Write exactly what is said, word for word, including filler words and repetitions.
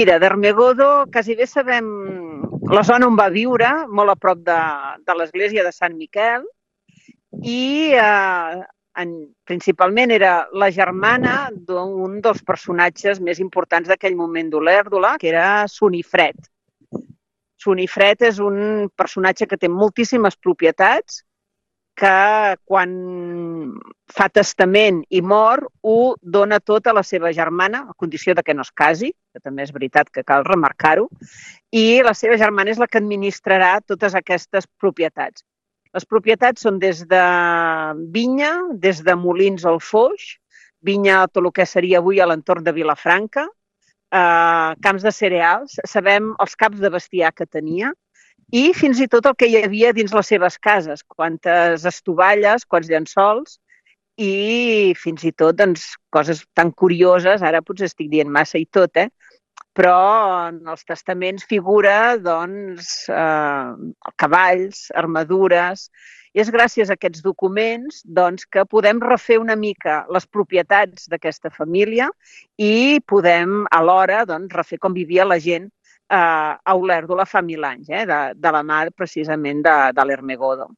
Mira, d'Armegodo quasi bé sabem la zona on va viure, molt a prop de, de l'església de Sant Miquel, i eh, en, principalment era la germana d'un dels personatges més importants d'aquell moment d'Olèrdola, que era Sunifred. Sunifred és un personatge que té moltíssimes propietats, que quan fa testament i mor ho dona tot a la seva germana, a condició de que no es casi, que també és veritat que cal remarcar-ho, i la seva germana és la que administrarà totes aquestes propietats. Les propietats són des de vinya, des de molins al Foix, vinya tot el que seria avui a l'entorn de Vilafranca, eh, camps de cereals, sabem els caps de bestiar que tenia, i fins i tot el que hi havia dins les seves cases, quantes estovalles, quants llençols, i fins i tot doncs, coses tan curioses, ara potser estic dient massa i tot, eh? Però en els testaments figura doncs, eh, cavalls, armadures, i és gràcies a aquests documents doncs, que podem refer una mica les propietats d'aquesta família i podem alhora doncs, refer com vivia la gent a Olèrdola fa mil anys, eh, de, de la mà precisament de, de l'Ermegodo.